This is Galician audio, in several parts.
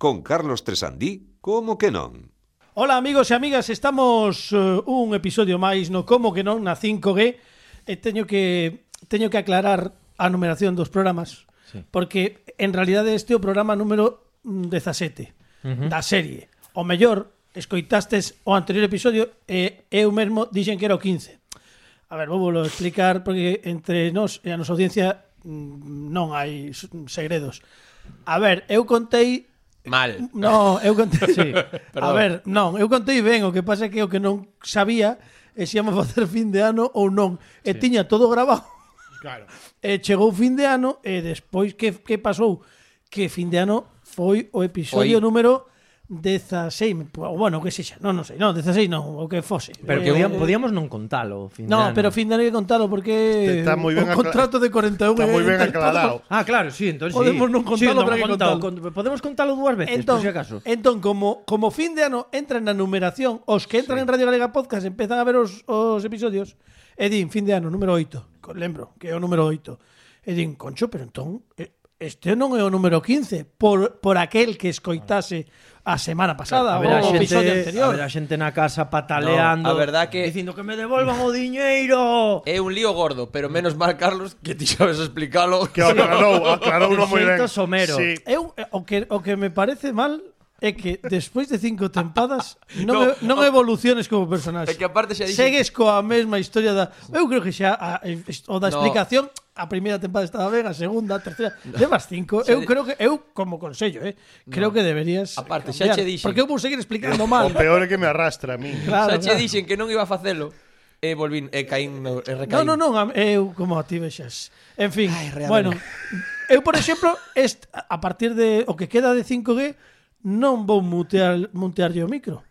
con Carlos Tresandí, como que non. Hola amigos e amigas, estamos un episodio máis no Como que non na 5G e teño que aclarar a numeración dos programas, porque en realidade este é o programa número 17 da serie. O mellor, escoitastes o anterior episodio e eu mesmo dixen que era o 15. A ver, vou volo explicar porque entre nós e a nosa audiencia non hai segredos. A ver, eu contei mal. No, eu contei, sí. A ver, non, eu contei ben, o que pasa é que o que non sabía é se íamos facer fin de ano ou non. E tiña todo grabado. Claro. E chegou fin de ano e despois que pasou? Que fin de ano foi o episodio número 16, bueno, que sexa, non sei, non, 16 non, o que fose. Pero podíamos non contalo, fin de ano. Pero fin de ano hai que contalo porque está moi ben o contrato de 41 está moi ben aclarado. Ah, claro, sí, entonces podemos non contalo, pero hai que contalo. Podemos contalo dúas veces, por si acaso. Entón, como fin de ano entran na numeración, os que entran en Radio Galega Podcast empezan a ver os episodios e din fin de ano número 8, lembro que é o número 8. E din, concho, pero entón este non é o número 15 por aquel que escoitase a semana pasada o episodio anterior. A ver a xente na casa pataleando, a verdad que dicindo que me devolvan o diñeiro. É un lío gordo, pero menos mal, Carlos, que ti sabes explicalo. Que aclarou moi ben. Somero. Sí. Eu o que me parece mal é que despois de 5 tempadas non evoluciones como personaxe. É que aparte xa dixen... Segues coa mesma historia da... Eu creo que xa o da explicación a primeira tempada estaba ben, a segunda, a terceira, levas 5. Eu creo que como consello, creo que deberías aparte cambiar, xa che dixen. porque eu vou seguir explicando mal. O peor é que me arrastra a mí. Claro, xa che dixen que non iba a facelo. E volvín, caín, recaín. Non, eu como a ti vexas. En fin, bueno, eu por exemplo, a partir de o que queda de 5G non vou mutearlle o micro.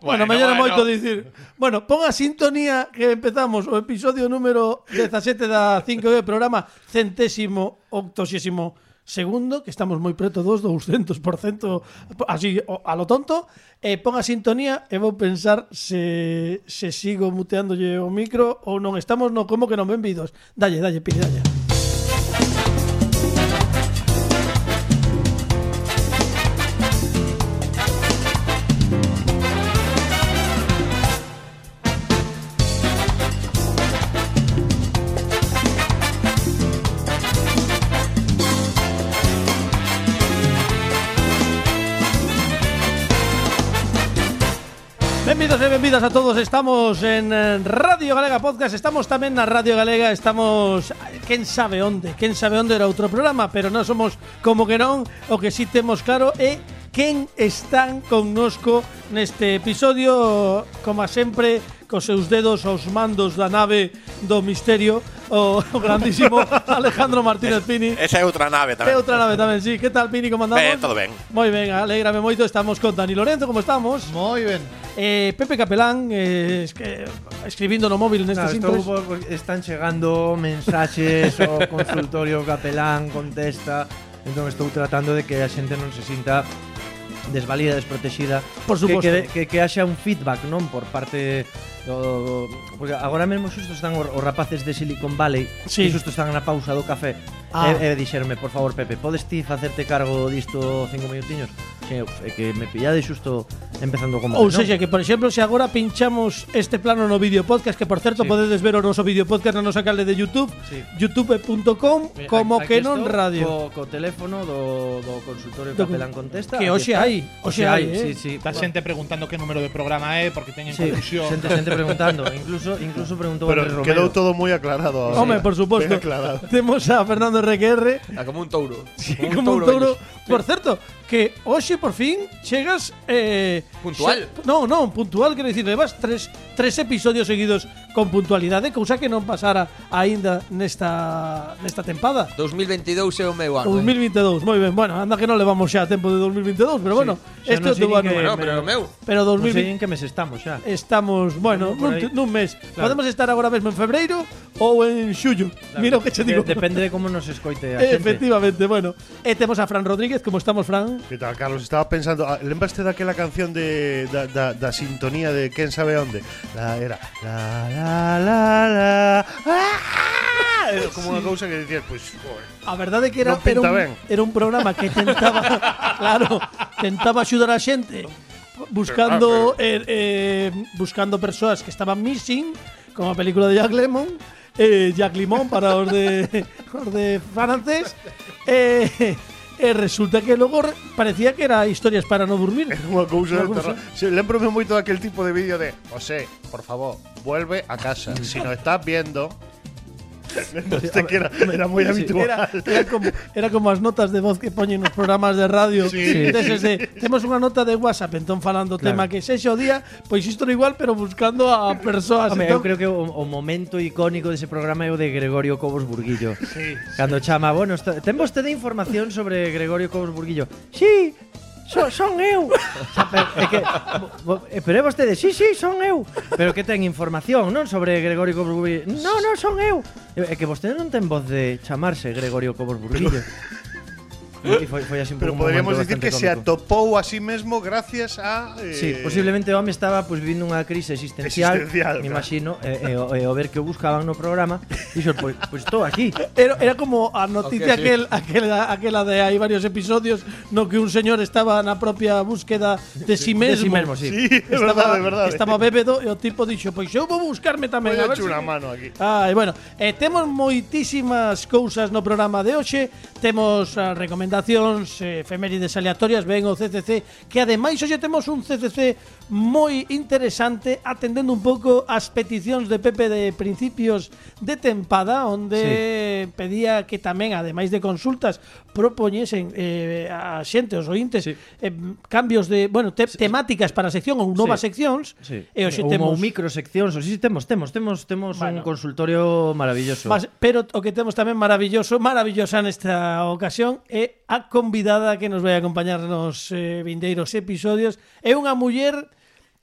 Bueno, mellor é moito dicir. Bueno, pon a sintonía que empezamos o episodio número 17 da 5G, programa 182º, que estamos moi preto dos 200%, así a lo tonto. Pon a sintonía e vou pensar se sigo muteándolle o micro ou non. Estamos no Como que non benvidos. Dalle, Pili, dalle. Benvidos e benvidas a todos. Estamos en Radio Galega Podcast. Estamos tamén na Radio Galega. Estamos, quen sabe onde era outro programa, pero non somos como que non. O que sí temos claro é quen están connosco neste episodio, como sempre, cos seus dedos aos mandos da nave do misterio, o grandísimo Alejandro Martínez Pini. Esa é outra nave tamén. É outra nave tamén, sí. Que tal, Pini, como andamos? Ben, todo ben. Moi ben, alégrame moito. Estamos con Dani Lorenzo, como estamos? Moi ben. Pepe Capelán, escribindo no móvil nestes intros. Están chegando mensaxes o consultorio Capelán contesta. Entón estou tratando de que a xente non se sinta desvalida, desprotexida. Por suposto. Que haxa un feedback, non? Por parte do porque agora mesmo xusto están os rapaces de Silicon Valley, sí. Que xusto están na pausa do café. E dixerme, por favor, Pepe, podes ti facerte cargo disto 5 minutiños? É que me pillade xusto empezando como. Ou seja, que por exemplo, se agora pinchamos este plano no vídeo podcast, que por certo podedes ver o noso vídeo podcast na nosa canle de YouTube, youtube.com como que non radio. Co teléfono do consultorio Capelán contesta. Que hoxe hai, sí. Está xente preguntando que número de programa é porque teñen confusión. Xente preguntando, incluso preguntou Pero Andrés Romero. quedou todo moi aclarado. Home, por suposto. Temos a Fernando RQR. Como un touro. Como un touro. Por certo, que hoxe por fin chegas puntual. Non, puntual, quero dicir, levas tres episodios seguidos con puntualidade, cousa que non pasara aínda nesta tempada. 2022 é o meu ano. 2022, moi ben. Bueno, anda que non levamos xa tempo de 2022, pero bueno, este é o teu ano. Bueno, pero o meu. Pero 2020 non sei en que mes estamos xa. Estamos, bueno, nun mes. Claro. Podemos estar agora mesmo en febreiro ou en xullo. Claro. Mira o que che digo. Depende de como nos escoite a xente. Efectivamente, bueno. E temos a Fran Rodríguez, como estamos, Fran? Que tal, Carlos? Estaba pensando, lembraste daquela canción da sintonía de quen sabe onde? Era la Era como unha cousa que dicías, pois, joder. A verdade é que Non pinta ben. era un programa que tentaba, claro, tentaba axudar a xente buscando buscando persoas que estaban missing, como a película de Jack Lemmon, Jack Limón para os de francés. Resulta que logo parecía que era historias para no dormir. Era unha cousa de terror. Lembrome moito daquel tipo de vídeo de José, por favor, vuelve a casa. Si nos estás viendo. Este que era moi habitual. Era como as notas de voz que poñen nos programas de radio. Temos unha nota de WhatsApp, entón falando tema que sexa o día, pois isto era igual, pero buscando a persoas. Eu creo que o momento icónico dese programa é o de Gregorio Cobos Burguillo. Cando chama, bueno, ten vostede información sobre Gregorio Cobos Burguillo? Sí, son eu. Pero é vostede, sí, son eu. Pero que ten información, non? Sobre Gregorio Cobos Burguillo. No, son eu. É que vostede non ten voz de chamarse Gregorio Cobos Burguillo. E foi así un Pero pouco podríamos momento decir que se bastante cómico. atopou a sí mesmo gracias a Sí, posiblemente o home estaba vivindo unha crise existencial, me imagino, e ao ver que o buscaban no programa, dixo, pois estou aquí. Era como a noticia aquela de hai varios episodios no que un señor estaba na propia búsqueda de si mesmo. Sí. Sí, é verdade. Estaba bébedo e o tipo dixo, pois eu vou buscarme tamén. Voy a ver echar unha mano aquí. Bueno, temos moitísimas cousas no programa de hoxe. Temos recomendacións, efemérides aleatorias, ven o CCC, que ademais hoxe temos un CCC moi interesante, atendendo un pouco as peticións de Pepe de principios de tempada, onde pedía que tamén, ademais de consultas, propoñesen a xente, os ointes, cambios de, temáticas para a sección ou novas seccións. E hoxe temos microseccións, temos un consultorio maravilloso. Pero o que temos tamén maravillosa nesta ocasión é a convidada que nos vai acompañar nos vindeiros episodios. É unha muller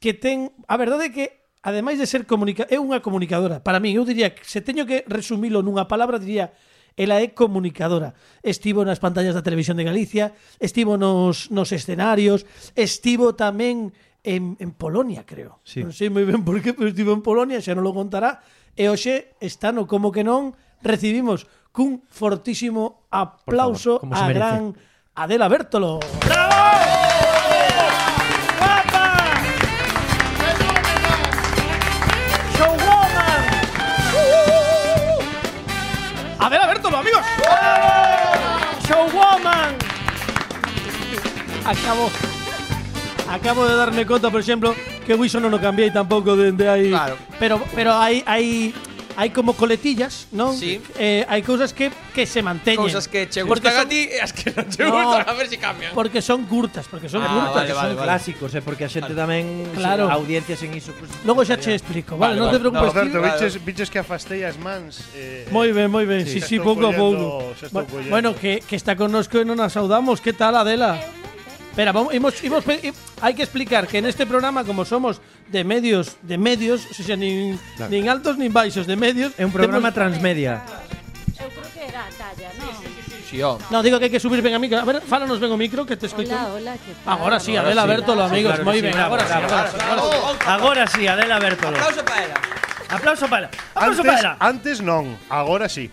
que ten, a verdade é que ademais de ser é unha comunicadora. Para mí, eu diría que se teño que resumilo nunha palabra, diría ela é comunicadora. Estivo nas pantallas da Televisión de Galicia, estivo nos escenarios, estivo tamén en Polonia, creo. Sí. Non sei moi ben por qué, pero estivo en Polonia, xa non lo contará. E hoxe está no Como que non. Recibimos cun fortísimo aplauso favor, a gran Adela Bertolo. ¡Bravo! ¡Guapa! ¡Showwoman! Adela Bertolo, amigos. ¡Showwoman! Acabo de darme conta, por exemplo, que o iso non o cambiei tampouco dende aí. Claro. Pero hai como coletillas, non? Sí. Hai cousas que se manteñen. Cousas que che gustan a ti e as que non che gustan, a ver se cambian. Porque son curtas, vale. Son clásicos, porque a xente tamén, claro, audiencias en iso, pues, logo xa che explico, vale, non te preocupes. Alberto, biches que afastei as mans. Moi ben. Sí, pouco a pouco. Bueno, que está connosco e non a saudamos. Que tal, Adela? Espera, hai que explicar que neste programa, como somos de medios, o sea, nin altos nin baixos, de medios, é un programa transmedia. Eu creo que era a talla, non? Sí, no, digo que hai que subir ben a micro. A ver, fálanos ben o micro que te escoito. Hola, que tal? Agora sí, Adela Bertolo, amigos, claro, moi sí, ben. bravo, Agora sí. Agora sí, Adela Bertolo. Aplauso para ela. Aplauso para ela. Antes non, agora sí.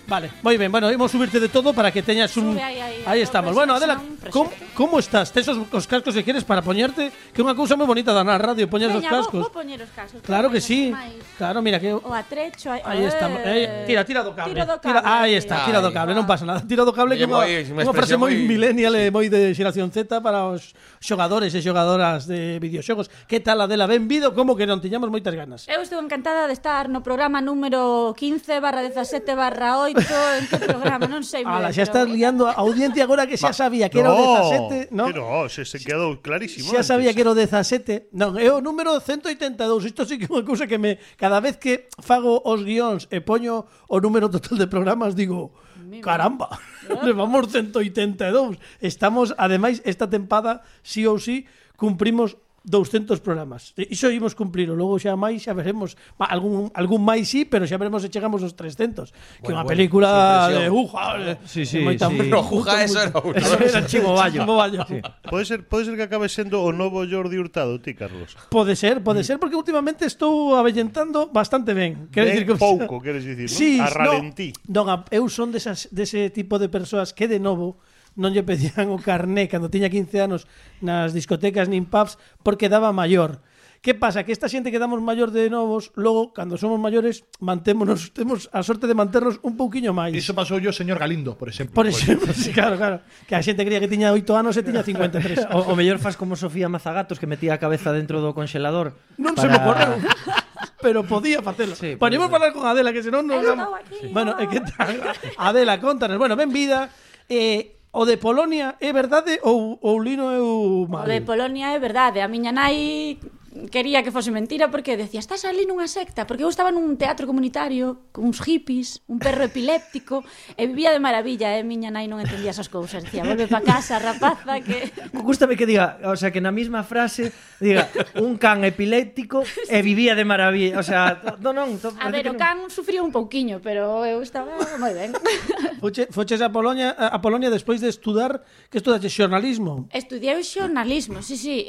Vale, moi ben. Bueno, imos subirte de todo para que teñas un... Aí estamos. Bueno, Adela, como estás? Tes os cascos que queres para poñerte? Que é unha cousa moi bonita da na radio, poñer os cascos. Vou poñer os cascos. Claro que sí. Claro, mira que... O atrecho... Aí estamos. Tira do cable. Tira aí está, tira do cable, non pasa nada. Tira do cable que é unha frase moi millennial e moi de xeración Z para os xogadores e xogadoras de videoxogos. Que tal, Adela? Benvido, como que non tiñamos moitas ganas. Eu estou encantada de estar no programa número 15/17/8. En que programa, non sei. Ala, xa estás liando a audiencia agora que xa sabía que era o 17, non? Que no, se quedou clarísimo. Xa sabía que era o 17. Non, é o número 182. Isto sí que é unha cousa que cada vez que fago os guións e poño o número total de programas digo, caramba, levamos 182. Estamos, ademais, esta tempada sí ou sí cumprimos 200 programas. Iso imos cumplir, logo xa máis xa veremos, algún máis sí, pero xa veremos se chegamos aos 300, que é unha película de Sí, No, Juga, eso era uno. Era Chivo Bayo. Sí. Pode ser que acabe sendo o novo Jordi Hurtado, ti, Carlos. Pode ser, porque últimamente estou avellentando bastante ben. Quero dicir que pouco, queres dicir, sí, non? A ralentí. Non, eu son dese tipo de persoas que de novo non lle pedían o carné cando tiña 15 anos nas discotecas nin pubs porque daba maior. Que pasa? Que esta xente que damos maior de novos, logo, cando somos maiores, temos a sorte de manternos un pouquiño máis. Iso pasou yo, señor Galindo, por exemplo. Por exemplo, sí, claro. Que a xente creía que tiña 8 anos e tiña 53. O mellor faz como Sofía Mazagatos, que metía a cabeza dentro do conxelador. Non se me ocorreu. Pero podía facelo. Sí, bueno, imos falar con Adela, que senón non... Bueno, que tal? Adela, contanos. Bueno, ben vida. O de Polonia é verdade ou Lino é o mal? O de Polonia é verdade. A miña nai quería que fose mentira porque decía, estás ali nunha secta, porque eu estaba nun teatro comunitario con uns hippies, un perro epiléptico e vivía de maravilla, miña nai non entendía esas cousas, decía, volve pa casa, rapaza, que... Gústame que diga, o sea, que na mesma frase diga, un can epiléptico e vivía de maravilla, o sea, non. A ver, o can sufría un pouquiño, pero eu estaba moi ben. Foches a Polonia despois de estudar, que estudaste xornalismo? Estudiei xornalismo, sí.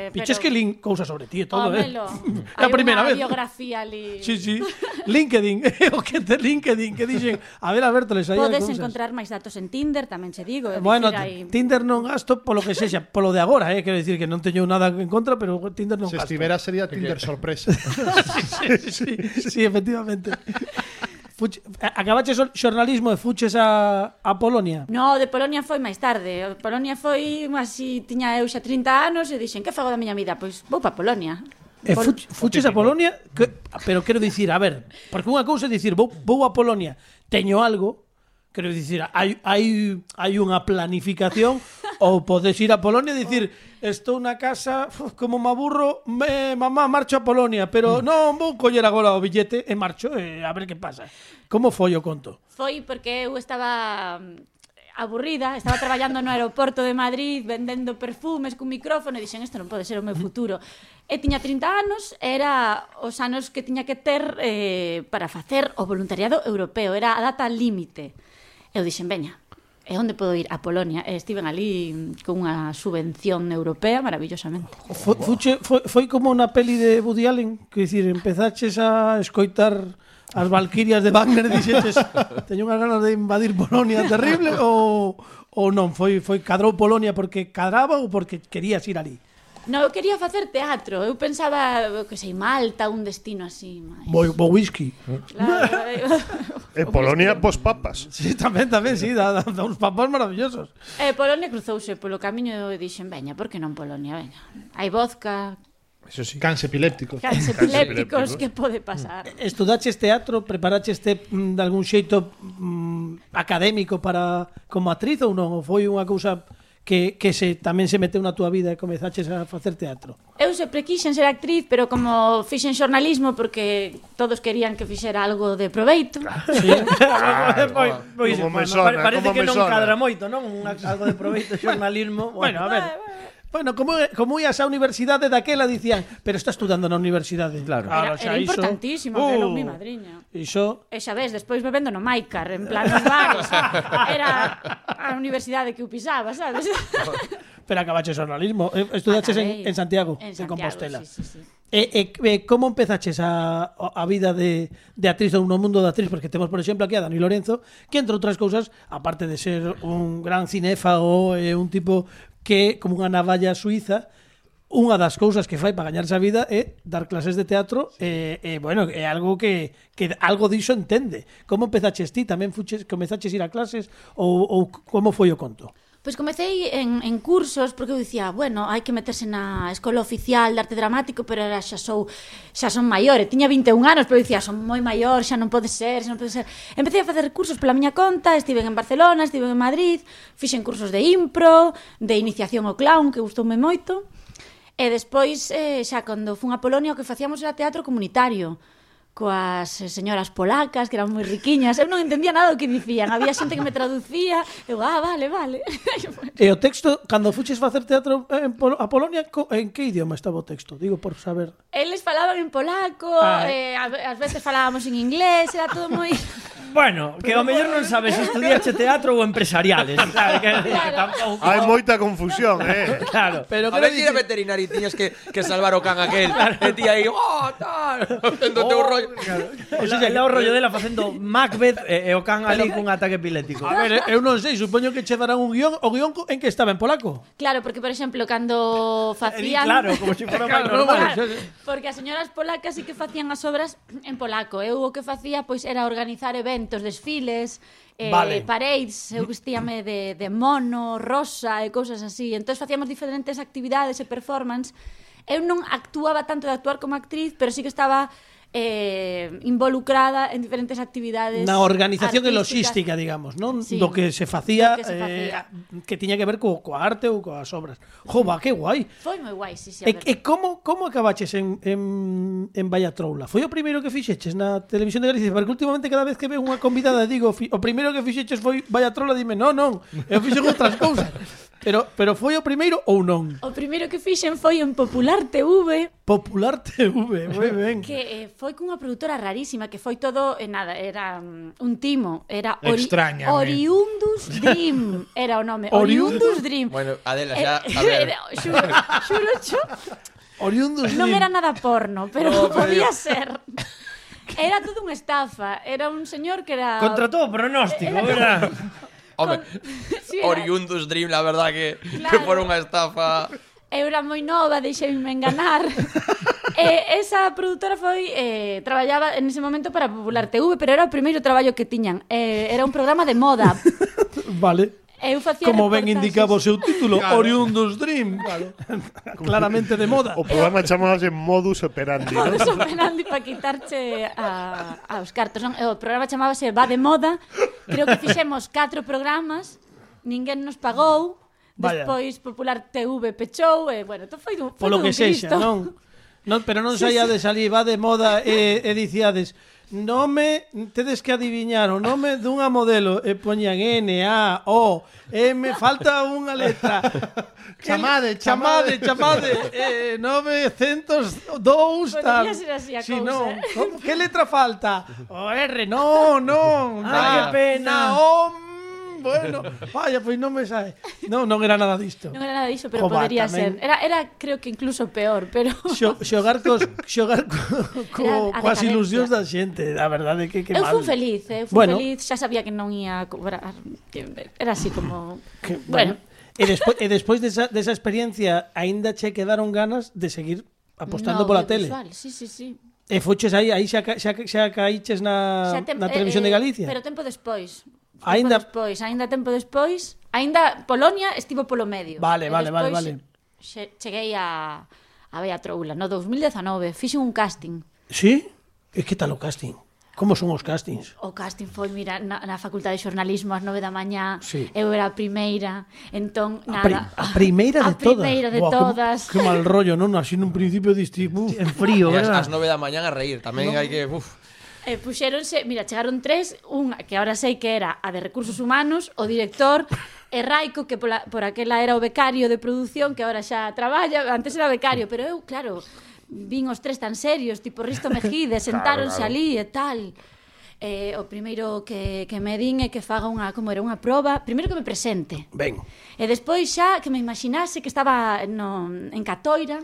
Piches que lin cousas sobre ti e todo, Homelo, a primeira vez. Hai unha biografía ali. Sí. LinkedIn, o que te LinkedIn, que dixen, a ver, les aí podes cousas. encontrar máis datos en Tinder, tamén che digo. Bueno, hay... Tinder non gasto polo que sexa, polo de agora, quero dicir que non teño nada en contra, pero Tinder non Se gasto. estivera sería Tinder sorpresa. sí, efectivamente. Acabaches xornalismo e fuches a Polonia? No, de Polonia foi máis tarde. Polonia foi así, tiña eu xa 30 anos e dixen, que fago da miña vida? Pois vou pa Polonia. Fuches a Polonia, pero quero dicir, a ver, porque unha cousa é dicir, vou a Polonia, teño algo, quero dicir, hai unha planificación ou podes ir a Polonia e dicir, estou na casa, como me aburro, mamá, marcho a Polonia, pero non vou coller agora o billete e marcho, a ver que pasa. Como foi o conto? Foi porque eu estaba aburrida, estaba traballando no aeroporto de Madrid vendendo perfumes cun micrófono e dixen, isto non pode ser o meu futuro. E tiña 30 anos, era os anos que tiña que ter para facer o voluntariado europeo, era a data límite. Eu dixen, veña, e onde podo ir? A Polonia. E estiven ali con unha subvención europea maravillosamente. Foi como na peli de Woody Allen, que dicir, empezaches a escoitar as Valquirias de Wagner e dixetes, teño unhas ganas de invadir Polonia terrible, ou non, foi cadrou Polonia porque cadraba ou porque querías ir ali? No, eu quería facer teatro. Eu pensaba, que sei, Malta, un destino así. Bo whisky. Claro. En Polonia, pos papas. Sí, tamén, sí, dá uns papas maravillosos. Polonia cruzouse polo camiño e dixen, veña, por que non Polonia? Veña. Hai vodka, Eso sí. Cans epilépticos. Cans epilépticos, que pode pasar? Estudaches teatro, preparaches de algún xeito académico para como actriz ou non? Ou foi unha cousa que tamén se meteu na túa vida e comezaches a facer teatro? Eu sempre quixen ser actriz, pero como fixen xornalismo porque todos querían que fixera algo de proveito. Sí. Parece que non cadra moito, non? Algo de proveito, xornalismo. Bueno, a ver. Bueno, como ías á universidade daquela dicían, pero está estudando na universidade. Claro. Era importantísimo, que era mi madriña. Iso. E xa ves, despois bebendo no Maicar, en plan nos bares. Era a universidade que eu pisaba, sabes? Pero acabaches xornalismo. Estudaches en Santiago, en Compostela. Sí. E como empezaches a vida de actriz ou no mundo da actriz? Porque temos, por exemplo, aquí a Dani Lorenzo, que entre outras cousas, aparte de ser un gran cinéfago e un tipo que, como unha navalla suiza, unha das cousas que fai para gañarse a vida é dar clases de teatro bueno, é algo que algo diso entende. Como empezaches ti? Tamén comezaches ir a clases ou como foi o conto? Pois comecei en cursos porque eu dicía, bueno, hai que meterse na escola oficial de arte dramático, pero era xa son maior, tiña 21 anos, pero eu dicía, son moi maior, xa non pode ser. Empecé a facer cursos pola miña conta, estiven en Barcelona, estiven en Madrid, fixen cursos de impro, de iniciación ao clown, que gustoume moito, e despois, xa cando fun a Polonia, o que facíamos era teatro comunitario, coas señoras polacas que eran moi riquiñas. Eu non entendía nada do que dicían. Había xente que me traducía. Eu, vale. E o texto, cando fuches facer teatro a Polonia, en que idioma estaba o texto? Digo, por saber. Eles falaban en polaco, ás veces falábamos en inglés, era todo moi... Bueno, que ao mellor non sabes se estudiache teatro ou empresariales. Claro, Claro. Hai moita confusión, Claro. Pero A ver si era veterinario e tiñas que salvar o can aquel. E ti aí, tal, facendo teu rollo. O sea, o rollo dela facendo Macbeth e o can ali cun ataque epiléptico. A ver, eu non sei, supoño que che darán un guión, o guión en que estaba en polaco. Claro, porque, por exemplo, cando facían... Claro, como se fora máis Claro, normal. Claro, porque as señoras polacas sí que facían as obras en polaco. Eu o que facía pois era organizar eventos, desfiles, Vale. parades, eu vestíame de mono, rosa e cousas así. Entón facíamos diferentes actividades e performance. Eu non actuaba tanto de actuar como actriz, pero sí que estaba involucrada en diferentes actividades Na organización e artísticas. logística, digamos, non? Sí. Do que se facía, Do que se facía. que tiña que ver coa arte ou coas obras. Jova, que guai. Foi moi guai, sí, a E ver. como acabaches en Vallatroula? Foi o primeiro que fixeches na televisión de Galicia? Porque últimamente cada vez que veo unha convidada digo, o primeiro que fixeches foi Vallatroula, dime, non, eu fixen outras cousas. Pero foi o primeiro ou non? O primeiro que fixen foi en Popular TV, Popular TV, moi ben. que foi cunha produtora rarísima, que foi todo, nada, era un timo, era Extrañame. Oriundus Dream, era o nome, Oriundus Oriundus Dream. Bueno, Adela, xa, a ver. Xuro, Oriundos non Dream. era nada porno, pero podía ser. Era todo unha estafa, era un señor que era... Contra todo pronóstico, verdad? Home, Sí, era- Oriundus Dream, la verdad que Claro. fora unha estafa. Eu era moi nova, deixeime enganar. Esa produtora foi traballaba en ese momento para Popular TV, pero era o primeiro traballo que tiñan. Era un programa de moda. Vale. Eu facía Como ben reportaxes. indicaba o seu título, Oriundos Dream. Claramente de moda. O programa chamábase Modus Operandi, ¿no? Modus operandi para quitarche aos cartos. Non? O programa chamábase Va de Moda. Creo que fixemos 4 programas, ninguén nos pagou. Vaya. Despois Popular TV pechou e, bueno, foi Polo todo que un sexa, Cristo. non, pero non saíades ali, va de moda e diciades nome, tedes que adiviñar o nome dunha modelo e poñan N, A, O, M, falta unha letra. Chamade. 902 tal. Podería ser así a Si, cousa, non. Que letra falta? O R, non. Ai, que pena. Bueno, vaya, pois non me sae. Non era nada disto. Non era nada diso, pero Jova, podería tamén. ser. Era creo que incluso peor, pero Xogar coas decadencia. ilusións da xente, a verdade que eu mal. fui feliz, Bueno. feliz, xa sabía que non ia cobrar. Era así como Que, bueno, E despois desa experiencia aínda che quedaron ganas de seguir apostando no, pola tele. audiovisual, sí. E fuches aí xa caíches na televisión de Galicia. Pero tempo despois. Aínda Tempo despois, aínda Polonia estivo polo medio. Vale. E despois cheguei a Vallatroula no 2019, fixen un casting. Sí? E que tal o casting? Como son os castings? O casting foi, mira, na Facultade de Xornalismo ás 9 da mañá. Sí. Eu era a primeira, entón, nada. A primeira de todas. A primeira de Buah, todas. Que mal rollo, non? Así nun principio diste, En frío, E verdad? ás 9 da mañán a reír, tamén hai que, Puxéronse, mira, chegaron 3, unha que ahora sei que era a de Recursos Humanos, o director, e Raico, que por aquela era o becario de produción, que ahora xa traballa, antes era becario, pero eu, claro, vin os 3 tan serios, tipo Risto Mejide, sentáronse ali e tal. O primeiro que me din é que faga unha proba, primeiro que me presente. Ben. E despois xa que me imaginase que estaba en Catoira,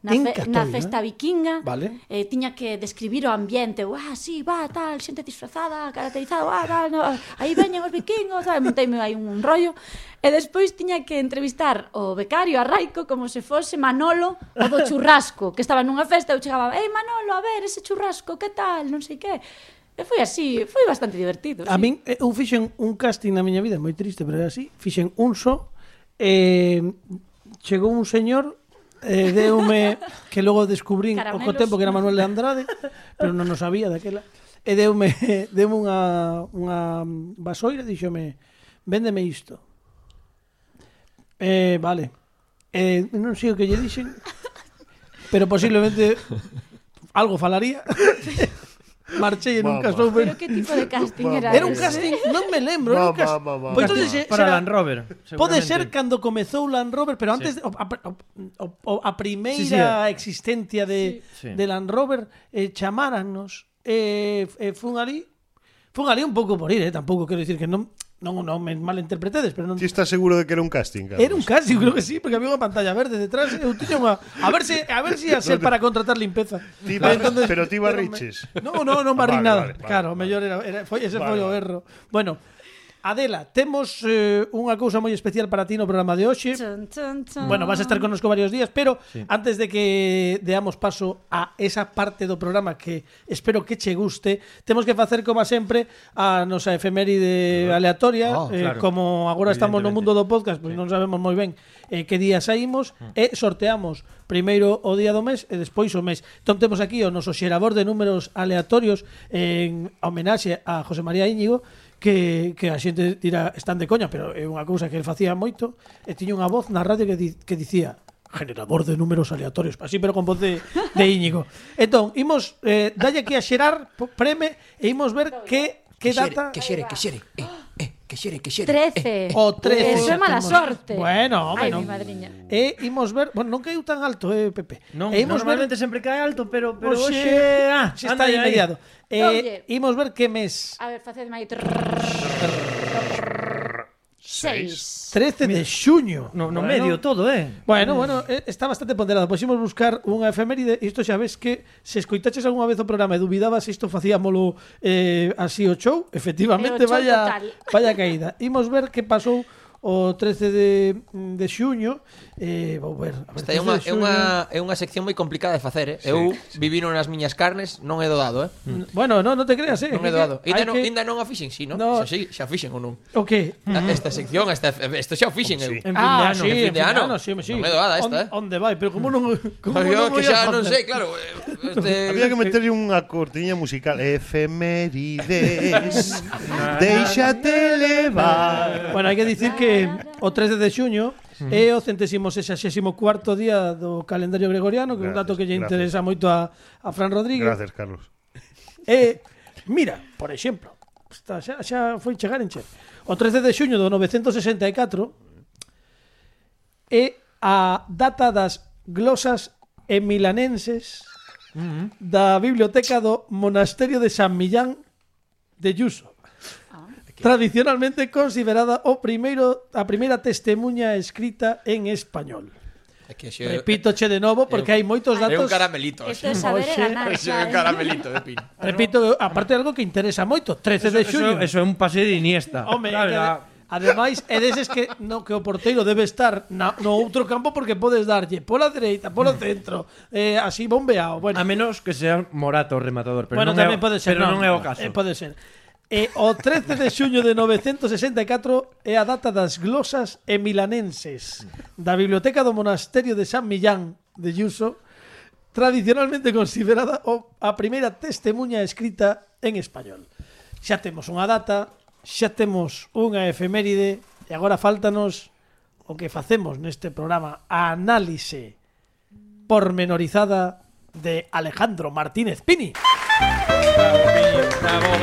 na festa vikinga. Vale. Tiña que describir o ambiente. Sí, tal, xente disfrazada, caracterizada, tal, no, aí veñen os vikingos, tal, monteime aí un rollo. E despois tiña que entrevistar o becario, a Raico, como se fose Manolo, o do churrasco, que estaba nunha festa, eu chegaba, Manolo, a ver, ese churrasco, que tal, non sei que. E foi así, foi bastante divertido. A sí. min, eu fixen un casting na miña vida, moi triste, pero era así. Fixen un só. Chegou un señor, deume, que logo descubrín Caramelos. co tempo que era Manuel de Andrade, pero non o sabía daquela. E deume unha vasoira, díxome, véndeme isto. Vale. Non sei o que lle dixen, pero posiblemente algo falaría. marchei e nunca Mamá. soube. Pero que tipo de casting era? Era un ese? casting, non me lembro, era un casting. Mamá. Pois entonces, Para será- Land Rover. Pode seguramente. ser cando comezou Land Rover, pero antes a primeira existencia Sí. de Land Rover chamárannos fun ali un pouco por ir, tampouco quero dicir que non me malinterpretedes, pero non Ti estás seguro de que era un casting, Carlos? era un casting, creo que sí, porque había unha pantalla verde detrás, eu tiña unha a ver se ia ser para contratar limpeza. Ti pero ti pero barriches. Non barrí Vale, nada. vale, Claro, vale. mellor ese foi o Vale. erro. Bueno, Adela, temos unha cousa moi especial para ti no programa de hoxe. Chun, chun, chun. Bueno, vas a estar connosco varios días, pero antes de que deamos paso a esa parte do programa que espero que che guste, temos que facer, como sempre, a nosa efeméride aleatoria. Claro. Como agora estamos no mundo do podcast, pois non sabemos moi ben que día saímos e sorteamos primeiro o día do mes e despois o mes. Entón temos aquí o noso xerador de números aleatorios en homenaxe a José María Íñigo, que a xente dirá están de coña, pero é unha cousa que el facía moito, e tiña unha voz na radio que dicía generador de números aleatorios, así pero con voz de Íñigo. Entón, imos dalle aquí a xerar, preme, e imos ver que data... Que xere. 13. O 13. Eso é mala Temos- sorte. Bueno, Ai, non. mi madriña. E imos ver, bueno, non caiu tan alto, Pepe. Non, E imos normalmente sempre cae alto, pero Oxe, hoxe xe está aí mediado. Oye. Imos ver que mes. A ver, facedme aí. 6. 13 de xuño. No Bueno. medio todo, Bueno, está bastante ponderado. Pois imos buscar unha efeméride. Isto xa ves que se escoitaches algunha vez o programa e dubidabas se isto facíamolo así o show, efectivamente, É o show total. vaya caída. Imos ver que pasou o 13 de xuño. Vou ver. A ver, Esta é 13 de xuño. unha sección moi complicada de facer, Eu vivino nas miñas carnes, non é doado, Bueno, non te creas, Non é doado. Hai que- Ainda non a fixen, si, non? No. Xa fixen ou non? O que? Esta sección, isto xa o fixen eu. En fin de ano. En fin de ano. sí. Non é doada esta, Onde vai? Pero como non Yo que moi xa a non facer? sei, claro. Había que meterlle unha cortiña musical. Efemérides, déixate levar. Bueno, hai que dicir que o 13 de xuño é o 164º día do calendario gregoriano, que é un dato que lle Gracias. interesa moito a Fran Rodríguez. Gracias, Carlos. Mira, por exemplo, xa foi chegar en che. O 13 de xuño do 964 é a data das glosas emilanenses da biblioteca do Monasterio de San Millán de Yuso. Tradicionalmente considerada a primeira testemunha escrita en español. Repítoche de novo porque hai moitos É un datos. caramelito. Esto é saber e ganar. É un caramelito de pin. Repito, aparte de algo que interesa moito, 13 de xuño. Eso é un pase de Iniesta. Home, Claro, ademais, é deses que o porteiro debe estar no outro campo porque podes darlle pola dereita, polo centro, así bombeado. Bueno, a menos que sea Morata o rematador, pero bueno, non é, tamén pode ser, pero non é o caso. Pode ser. O 13 de xuño de 964 é a data das glosas emilanenses da biblioteca do Monasterio de San Millán de Yuso, tradicionalmente considerada a primeira testemunha escrita en español. Xa temos unha data, xa temos unha efeméride e agora faltanos o que facemos neste programa, a análise pormenorizada de Alejandro Martínez Pini. Bravo.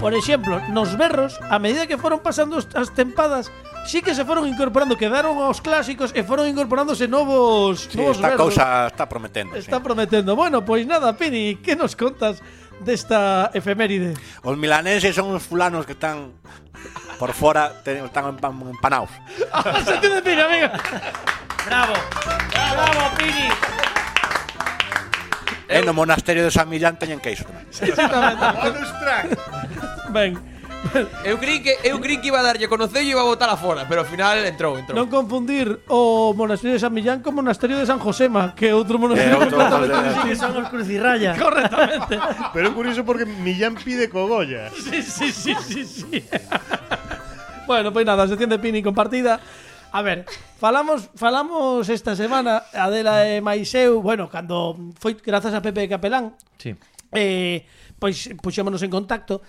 Por exemplo, nos berros, a medida que foron pasando as tempadas, sí que se foron incorporando, quedaron os clásicos e foron incorporándose novos Esta berros. cousa está prometendo. Está prometendo. Bueno, pois nada, Pini, que nos contas desta efeméride? Os milanenses son os fulanos que están por fora, están empanados. Se entiende, Pini, amiga. Bravo, Pini. E no monasterio de San Millán teñen queixo tamén. Ben, Eu creí que iba a darlle conocer e iba a botar afora, pero ao final entrou. non confundir o monasterio de San Millán con o monasterio de San Josema, que é outro monasterio outro completamente monasterio. Que son os crucirraya. correctamente. Pero é curioso porque Millán pide cogollas. Sí. Bueno, pois nada, sección de Pini compartida. A ver, falamos esta semana, Adela e mais eu, bueno, cando foi grazas a Pepe Capelán, Sí. Pois puxémonos en contacto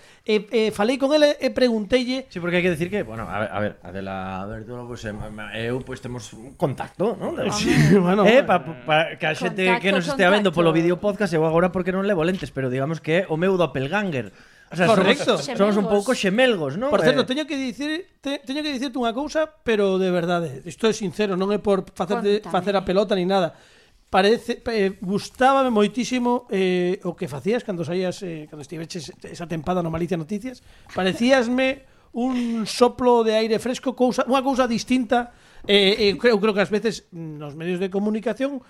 falei con ele e pregunteille. Sí, porque hai que decir que, bueno, a ver, Adela Bertolo, pues, eu pues temos un contacto, non? Sí, bueno, para que a xente que nos estea vendo polo vídeo podcast, eu agora porque non levo lentes, pero digamos que é o meu doppelganger. O sea, correcto. Somos un pouco xemelgos, non? Por certo, teño que dicirte unha cousa, pero de verdade, isto é sincero, non é por facer a pelota ni nada. Gustábame moitísimo o que facías cando saías, cando estiveches esa tempada no Malicia Noticias. Parecíasme un soplo de aire fresco, unha cousa distinta. Eu creo que ás veces nos medios de comunicación,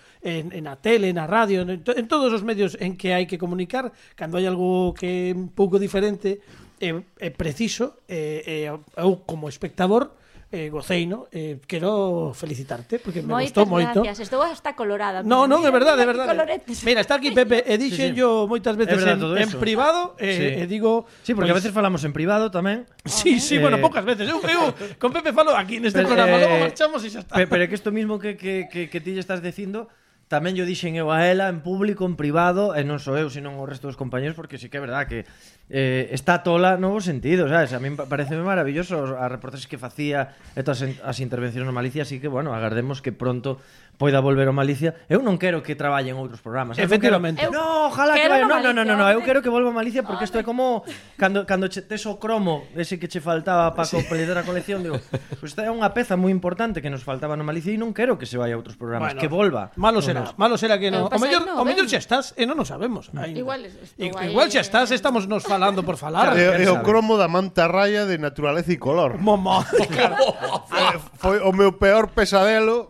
na tele, na radio, en todos os medios en que hai que comunicar, cando hai algo que é un pouco diferente, é preciso, eu como espectador gocei, no? Quero felicitarte porque me gustou moito. Moitas gracias, estou hasta colorada. Non, é verdade, é verdade. Coloretes. Mira, está aquí Pepe, e dixen yo moitas veces en privado, e digo... Sí, porque a veces falamos en privado tamén. Sí, bueno, poucas veces. Eu con Pepe falo aquí neste programa, logo marchamos e xa está. Pero é que isto mismo que ti lle estás dicindo, tamén yo dixen eu a ela en público, en privado, e non só eu, sino o resto dos compañeros, porque sí que é verdad que está tola no bo sentido, sabes? A mí pareceme maravilloso as reportaxes que facía e todas as intervencións no Malicia, así que, bueno, agardemos que pronto poida volver ao Malicia. Eu non quero que traballe en outros programas. Efectivamente. No, ojalá que vaya. No, eu quero que volva a Malicia porque isto é como cando tes o cromo ese que che faltaba para completar a colección, digo, pues esta é unha peza moi importante que nos faltaba no Malicia e non quero que se vaya a outros programas, que volva. Malo será que non. O mellor xa estás e non o sabemos. Igual xa estás, estamos nos falando por falar. É o cromo da manta raya de Naturaleza e Color. Foi o meu peor pesadelo.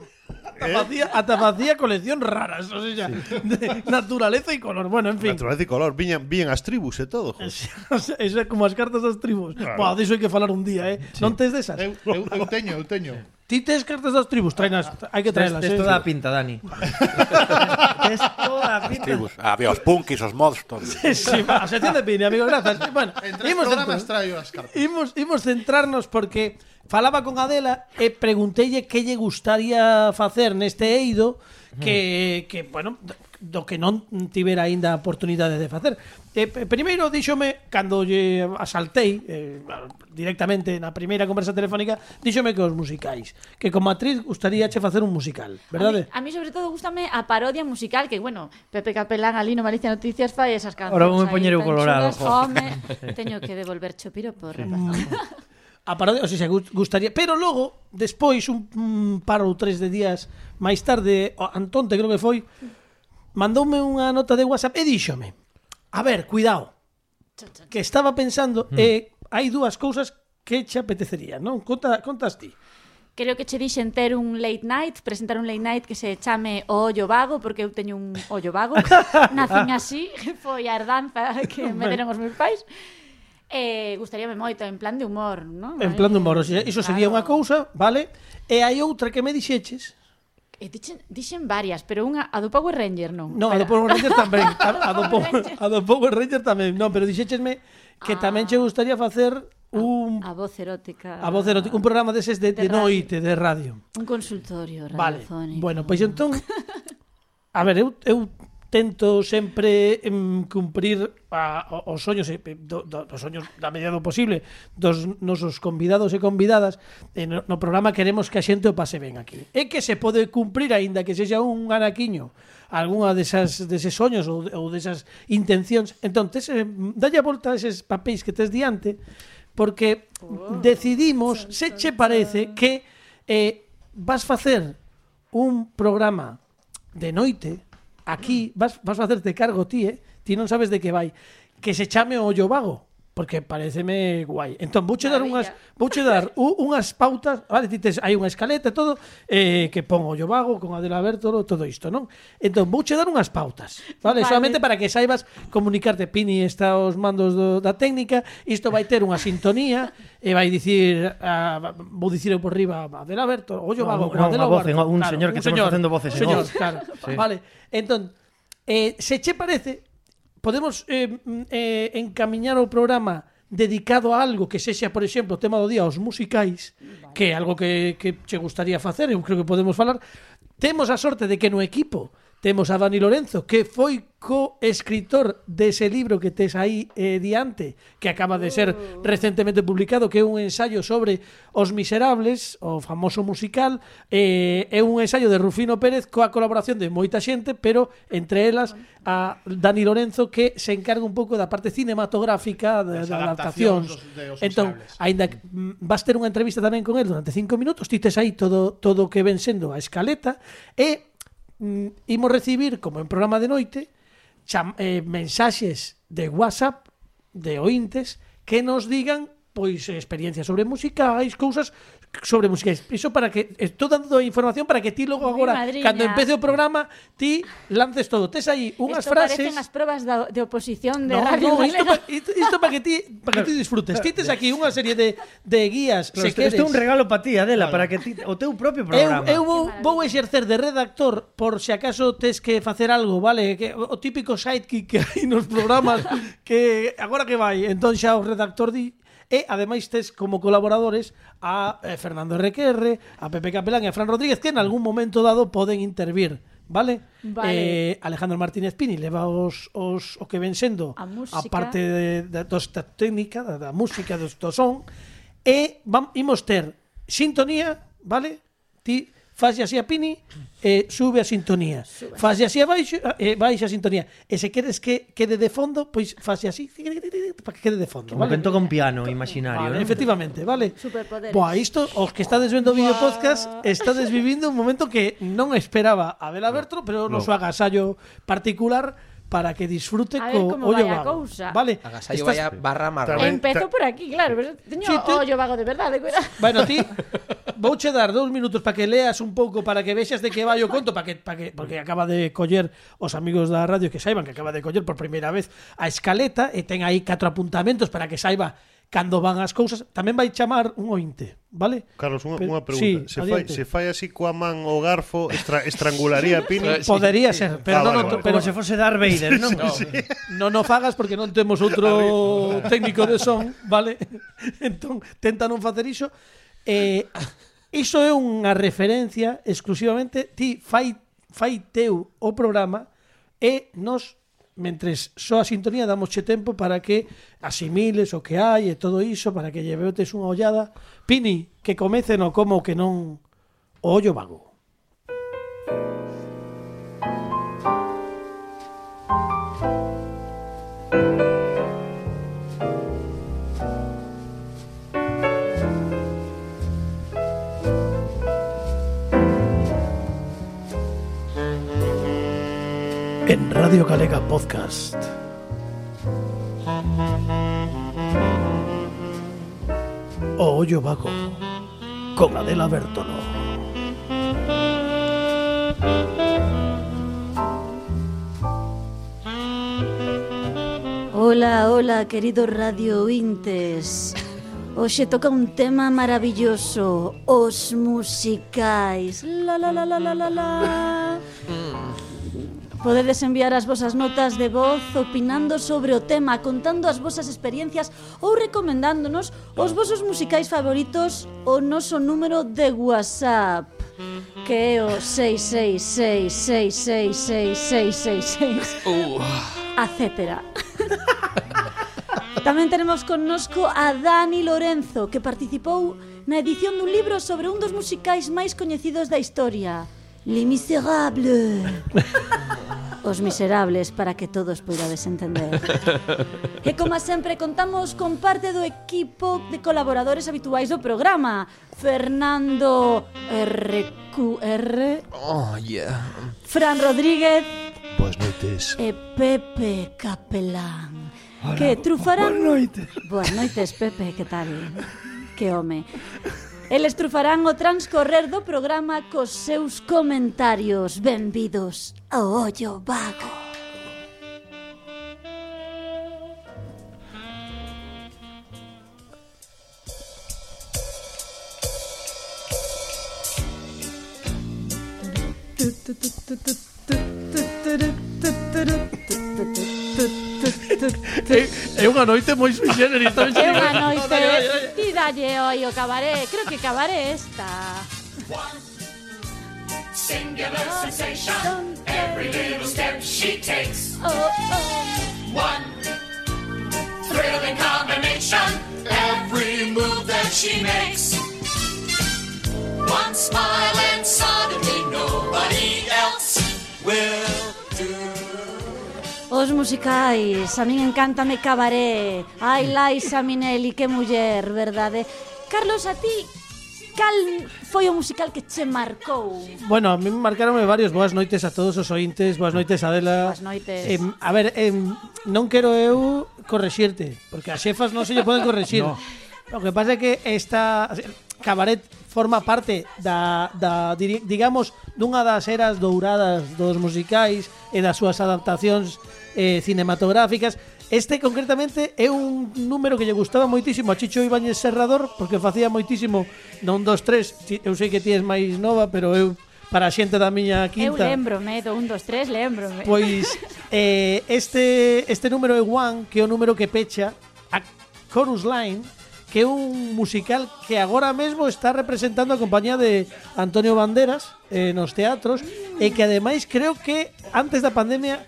Ata facía colección raras, o sea, de Naturaleza e Color. Bueno, en fin. Naturaleza e Color, viñan as tribus e todo. Eso é como as cartas das tribus. Buah, diso hai que falar un día, Sí. Non tes desas? Eu teño. Ti tes cartas das tribus, hai que traelas. Tes toda a pinta, Dani. Tes toda a pinta. Tribus. Había os punkis, os mods, todo. Sí, a sección de Pini, amigo, grazas. Bueno, programas traio as cartas. Imos centrarnos porque falaba con Adela e pregunteille que lle gustaría facer neste eido que bueno, do que non tivera aínda a oportunidade de facer. Primeiro díxome, cando lle asaltei directamente na primeira conversa telefónica, díxome que os musicais, que como actriz gustaríache facer un musical, verdade? A mí sobre todo gústame a parodia musical, que bueno, Pepe Capelán ali no Malicia Noticias fai esas cancións. Ahora vou me poñer o colorado. Teño que devolverche o piro por a parodia, o sea, gustaría, pero logo, despois, un par ou tres de días máis tarde, Antonte creo que foi, mandoume unha nota de WhatsApp e díxome, a ver, cuidado, que estaba pensando, hai dúas cousas que che apetecería, non? Contas ti. Creo que che dixen ter un late night, presentar un late night que se chame O Ollo Vago, porque eu teño un ollo vago, nacín así, foi a herdanza que me deron os meus pais. Gustaríame moito, en plan de humor, non? En plan de humor, o sea, iso sería unha cousa, vale? E hai outra que me dixeches. Dixen varias, pero unha, a do Power Ranger non. Non, a do Power Ranger tamén. A do Power Ranger tamén. Non, pero dixéchesme que tamén che gustaría facer a voz erótica. A voz erótica, un programa deses de noite, de radio. Un consultorio radiofónico. Vale, bueno, pois entón a ver, eu tento sempre cumprir os soños dos soños da medida do posible dos nosos convidados e convidadas. No programa queremos que a xente o pase ben aquí. É que se pode cumprir aínda que sexa un anaquiño algunha deses soños ou desas intencións. Entón, dalle a volta a eses papéis que tes diante porque decidimos, se che parece que vas facer un programa de noite. Aquí vas facerte cargo ti, ti non sabes de que vai, que se chame O Ollo Vago, porque pareceme guai. Entón, vouche dar unhas pautas, vale, hai unha escaleta e todo, que pon O Ollo Vago con Adela Bertolo, todo isto, non? Entón, vouche dar unhas pautas, vale? Solamente para que saibas comunicarte. Pini está aos mandos da técnica, isto vai ter unha sintonía e vai dicir, vou dicir eu por riba Adela Bertolo, O Ollo Vago con Adela Bertolo. Un señor que estamos facendo voces en off. Claro, vale. Entón, se che parece, podemos encamiñar o programa dedicado a algo que sexa, por exemplo, o tema do día, os musicais, que é algo que che gustaría facer, eu creo que podemos falar. Temos a sorte de que no equipo temos a Dani Lorenzo, que foi co-escritor dese libro que tes aí diante, que acaba de ser recentemente publicado, que é un ensayo sobre Os Miserables, o famoso musical. É un ensayo de Rufino Pérez coa colaboración de moita xente, pero entre elas a Dani Lorenzo, que se encarga un pouco da parte cinematográfica da adaptacións. Entón, aínda que vas ter unha entrevista tamén con el durante 5 minutos, tites aí todo o que ven sendo a escaleta, e imos recibir, como en programa de noite, mensaxes de WhatsApp de ointes que nos digan pois experiencias sobre musicais, cousas sobre musicais. Iso para que estou dando información para que ti logo agora, cando empece o programa, ti lances todo. Tes aí unhas frases. Parecen as probas de oposición de Radio Galega. Isto para que ti disfrutes. Ti tes aquí unha serie de guías, Claro, se queres. Isto é un regalo para ti, Adela, para que ti, o teu propio programa. Eu vou exercer de redactor por se acaso tes que facer algo, vale? Que o típico sidekick que hai nos programas que agora que vai, entón xa o redactor di. E ademais tes como colaboradores a Fernando RQR, a Pepe Capelán e a Fran Rodríguez, que en algún momento dado poden intervir, vale? Alejandro Martínez Pini leva o que ven sendo a parte da técnica, da música, do son, e imos ter sintonía, vale? Ti fase así a Pini e sube a sintonía. Fase así a baixo, baixa a sintonía. E se queres que quede de fondo, pois fase así para que quede de fondo, Como vale? que toca un piano imaginario, Vale, ¿no? efectivamente, vale. Superpoderes. Boa, isto, os que estades vendo o vídeo podcast, estades vivindo un momento que non esperaba a Abel Aberto, pero no seu agasallo particular para que disfrute A ver co como ollo vai a vago. cousa. Vale. Agasallo vaya barra marrón. Empezo por aquí, claro, pero teño ollo vago de verdade, cuidado. Bueno, ti vouche dar 2 minutos para que leas un pouco, para que vexas de que vai o conto, porque acaba de coller os amigos da radio que saiban que acaba de coller por primeira vez a escaleta e ten aí 4 apuntamentos para que saiba cando van as cousas. Tamén vai chamar un ointe, vale? Carlos, unha pregunta. Sí, se fai así coa man o garfo, estrangularía a Pini? Podería ser, pero vale. pero Como se fose Darth Vader, non? non o fagas porque non temos outro técnico de son, vale? Entón, tenta non facer iso. Iso é unha referencia exclusivamente, ti fai teu o programa e nos, mentres só a sintonía, damosche tempo para que asimiles o que hai e todo iso, para que lleveotes unha ollada. Pini, que comece no como que non o ollo vago. En Radio Galega Podcast. O ollo vago con Adela Bertolo. Hola, hola, queridos radio ointes. Hoxe toca un tema maravilloso, os musicais. La la la la la la la. Podedes enviar as vosas notas de voz opinando sobre o tema, contando as vosas experiencias ou recomendándonos os vosos musicais favoritos o noso número de WhatsApp, que é o 666666666, etcétera. Tamén tenemos connosco a Dani Lorenzo, que participou na edición dun libro sobre un dos musicais máis coñecidos da historia, Les Miserables. Os Miserables, para que todos poidades entender. E como sempre contamos con parte do equipo de colaboradores habituais do programa: Fernando RQR, Fran Rodríguez, Boas noites. e Pepe Capelán. Que trufarán... Boas noites, Pepe, que tal? Que home. Eles trufarán o transcorrer do programa cos seus comentarios. Benvidos ao ollo vago. É unha noite moi sui generis. É unha noite. Ti dalle oi o cabaré. Creo que cabaré esta. singular sensation. Every little step she takes. One thrilling combination. Every move that she makes. One smile and suddenly nobody else will do. Os musicais, a min encántame Cabaret. Ai, Liza Minnelli, que muller, verdade? Carlos, a ti, cal foi o musical que che marcou? Bueno, a mí me marcaron varios. Boas noites a todos os ointes. Boas noites, Adela. Boas noites. A ver, non quero eu correxirte, porque as xefas non se lle poden correxir. No. O que pasa é que esta Cabaret forma parte digamos, dunha das eras douradas dos musicais e das súas adaptacións cinematográficas. Este concretamente é un número que lle gustaba moitísimo a Chicho Ibáñez Serrador, porque facía moitísimo no 1, 2, 3. Eu sei que ti és máis nova, pero eu, para a xente da miña quinta, eu lembrome do 1, 2, 3, lembrome. Pois este número é One, que é o número que pecha a Chorus Line, que é un musical que agora mesmo está representando a compañía de Antonio Banderas nos teatros, e que ademais creo que antes da pandemia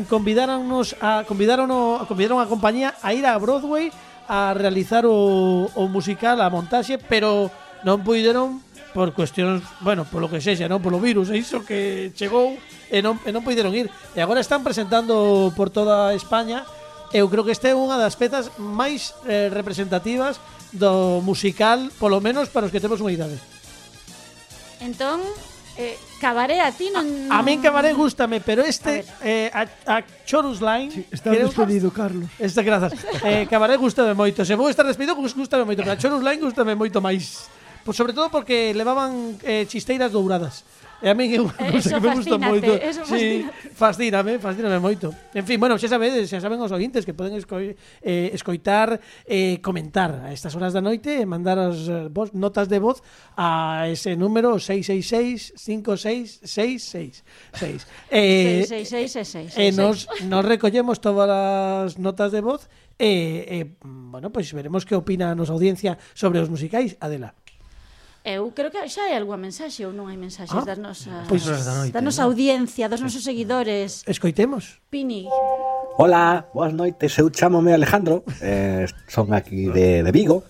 convidaron a compañía a ir a Broadway a realizar o musical, a montaxe, pero non puideron por cuestións, bueno, polo que sexa, non polo virus, e iso que chegou e non puideron ir. E agora están presentando por toda España. Eu creo que esta é unha das pezas máis representativas do musical, polo menos para os que temos unha idade. Entón, Cabaret a ti non... A min Cabaret gústame, pero a Chorus Line... Sí, está despedido, Carlos. Grazas. Cabaret gústame moito. Se vou estar despedido, gústame moito, pero a Chorus Line gústame moito máis. Pues sobre todo porque levaban chisteiras douradas. E a mí é unha cousa que me gusta moito. Sí, fascíname moito. En fin, bueno, xa saben os ointes que poden escoitar, comentar a estas horas da noite e mandar as notas de voz a ese número 666-5666. 66666. E nos recollemos todas as notas de voz e bueno, pois veremos que opina a nosa audiencia sobre os musicais. Adela. Eu creo que xa hai algunha mensaxe ou non hai mensaxes das nosas, pois, da nosa audiencia, dos nosos seguidores. Escoitemos. Pini. Hola, boas noites, eu chámome Alejandro, son aquí de Vigo.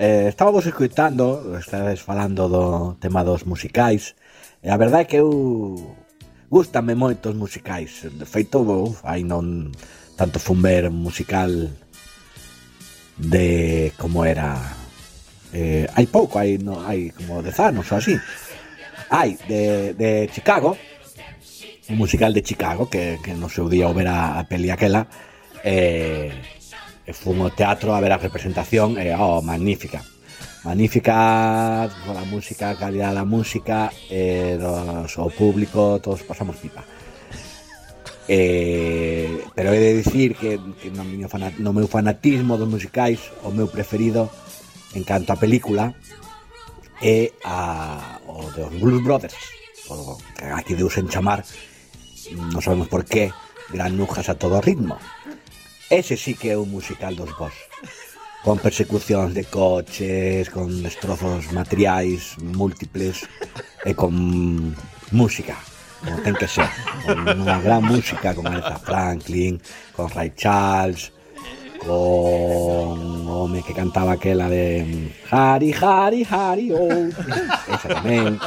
Estábamos escoitando, estades falando do tema dos musicais, e a verdade é que eu gústame moito os musicais. De feito, hai non tanto fun ver un musical de como era... hai pouco, hai como 10 anos ou así. Hai de Chicago, un musical de Chicago que no seu día o ver a peli aquela, fun ao teatro a ver a representación, magnífica, a música, a calidad da música, o público, todos pasamos pipa. Pero he de dicir que no meu fanatismo dos musicais, o meu preferido en canto a película é o dos Blues Brothers, o que aquí deusen chamar, non sabemos por qué, granujas a todo ritmo. Ese sí que é un musical dos Boss, con persecucións de coches, con destrozos materiais múltiples e con música, como ten que ser, con unha gran música con Aretha Franklin, con Ray Charles, con o home que cantaba aquela de Hari, Hari, Hari, oh, esa tamén.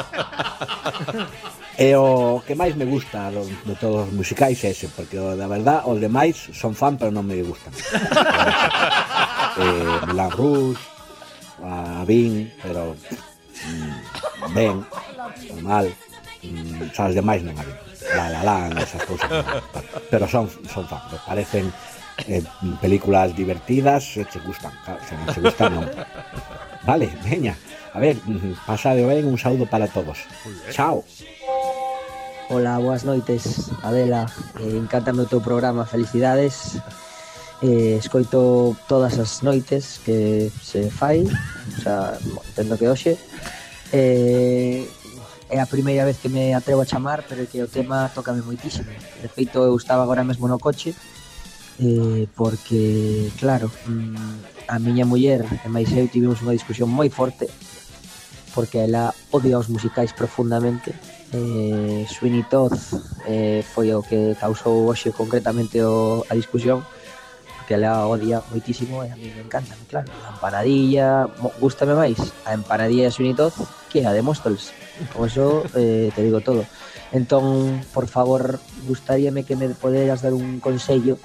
E o que máis me gusta de todos os musicais é ese, porque da verdad os demais son fan pero non me gustan. Moulin Rouge, a Vin, pero ben, normal, xa os demais non a Vin. La La Land, esas cousas, pero son fan, me parecen películas divertidas, se che gustan, claro, se non che gustan non. Vale, veña, a ver, pasade ben, un saúdo para todos. Chao. Hola, boas noites, Adela, encántame o teu programa, felicidades. Escoito todas as noites que se fai, o sea, entendo que hoxe. É a primeira vez que me atrevo a chamar, pero que o tema tócame moitísimo. De feito, eu estaba agora mesmo no coche, porque, claro, a miña muller e máis eu tivemos unha discusión moi forte, porque ela odia os musicais profundamente. Sweeney Todd foi o que causou hoxe concretamente a discusión, porque ela odia moitísimo e a mí me encanta, claro. A empanadilla, gústame máis a empanadilla de Sweeney Todd que a de Móstoles. Con eso te digo todo. Entón, por favor, gustaríame que me poderas dar un consello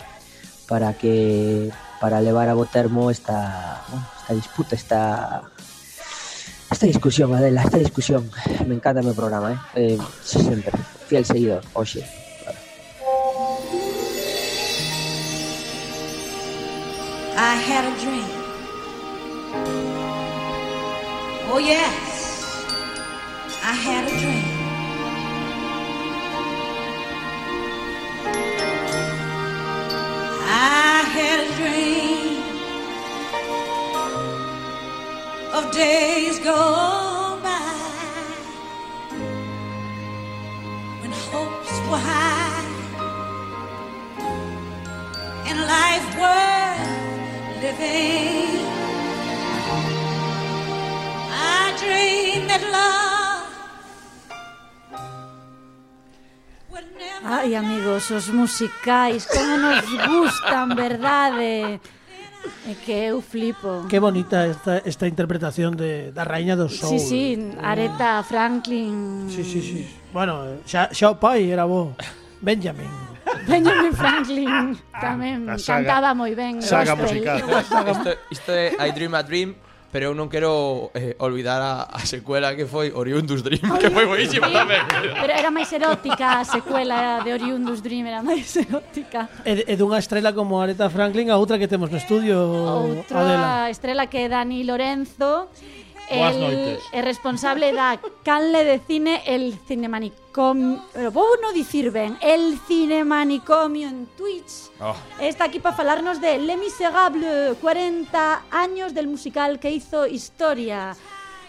para levar a bo termo esta disputa, esta discusión, Adela, esta discusión. Me encanta o meu programa, sempre, fiel seguidor, hoxe. I had a dream. Oh yes, I had a dream. I had a dream of days gone by when hopes were high and life worth living. I dreamed that love would never. Ai, amigos, os musicais, como nos gustan, verdade? É que eu flipo. Que bonita esta interpretación da Raíña do Soul. Sí, Aretha Franklin. Sí. Bueno, xa o pai era bo. Benjamin Franklin tamén cantaba moi ben. Saga musical. Isto é I Dream a Dream, pero eu non quero olvidar a secuela que foi Oriundus Dream, que foi boísima tamén. Pero era máis erótica a secuela de Oriundus Dream, era máis erótica. E dunha estrela como Aretha Franklin, a outra que temos no estudio, Outra estrela que é Dani Lorenzo. Boas noites. É responsable da canle de cine El Cinemanicomio, pero vou non dicir ben, El Cinemanicomio en Twitch. Está aquí para falarnos de Les Miserables, 40 años del musical que hizo historia.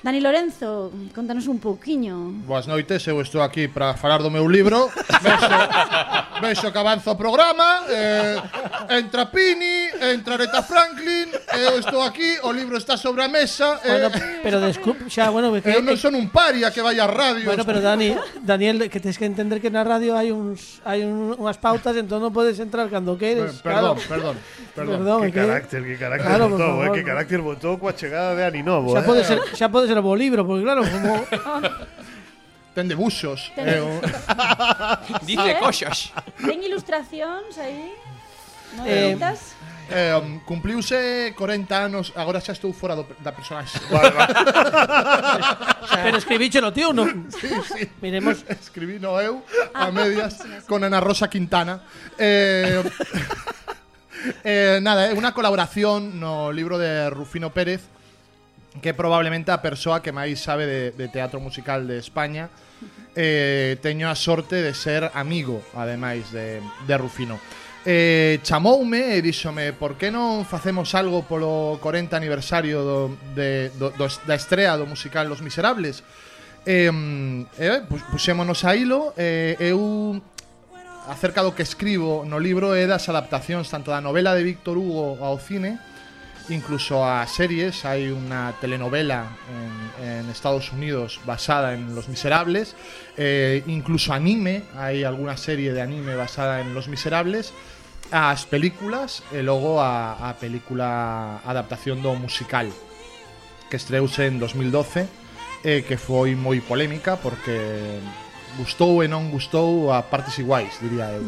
Dani Lorenzo, contanos un pouquiño. Boas noites, eu estou aquí para falar do meu libro. Vexo que avanza o programa. Entra Pini, entra Aretha Franklin. Eu estou aquí, o libro está sobre a mesa. Bueno, pero desculpe, xa, bueno, eu non son un paria que vai a radio. Bueno, pero Daniel, que tens que entender que na radio hai unhas pautas, entón non podes entrar cando queres. Perdón. Perdón, Que carácter Claro, botou, por favor. que carácter botou coa chegada de Aninovo, Xa pode ser o bo libro, porque claro, como Ten debuxos. Dice coxas. Ten ilustracións aí? Novelitas? Cumpliuse 40 anos, agora xa estou fora da personaxe. pero escribíchelo, tío, non? Sí. Miremos. Escribí no eu a medias con Ana Rosa Quintana. Nada, é unha colaboración no libro de Rufino Pérez, que é probablemente a persoa que máis sabe de teatro musical de España. Teño a sorte de ser amigo, ademais, de Rufino. Chamoume e díxome: por que non facemos algo polo 40 aniversario da estrea do musical Los Miserables? Puxémonos a hilo. Eu, acerca do que escribo no libro, é das adaptacións tanto da novela de Víctor Hugo ao cine, incluso a series. Hai unha telenovela en Estados Unidos basada en Los Miserables, incluso anime, hai alguna serie de anime basada en Los Miserables, as películas e logo a película adaptación do musical que estreouse en 2012, que foi moi polémica porque gustou e non gustou a partes iguais, diría eu.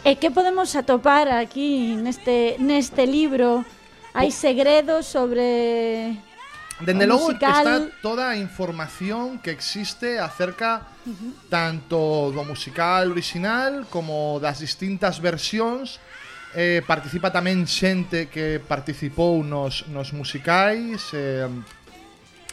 E que podemos atopar aquí neste libro? Hai segredos sobre Dende o logo musical? está toda a información que existe acerca tanto do musical original como das distintas versións. Participa tamén xente que participou nos musicais.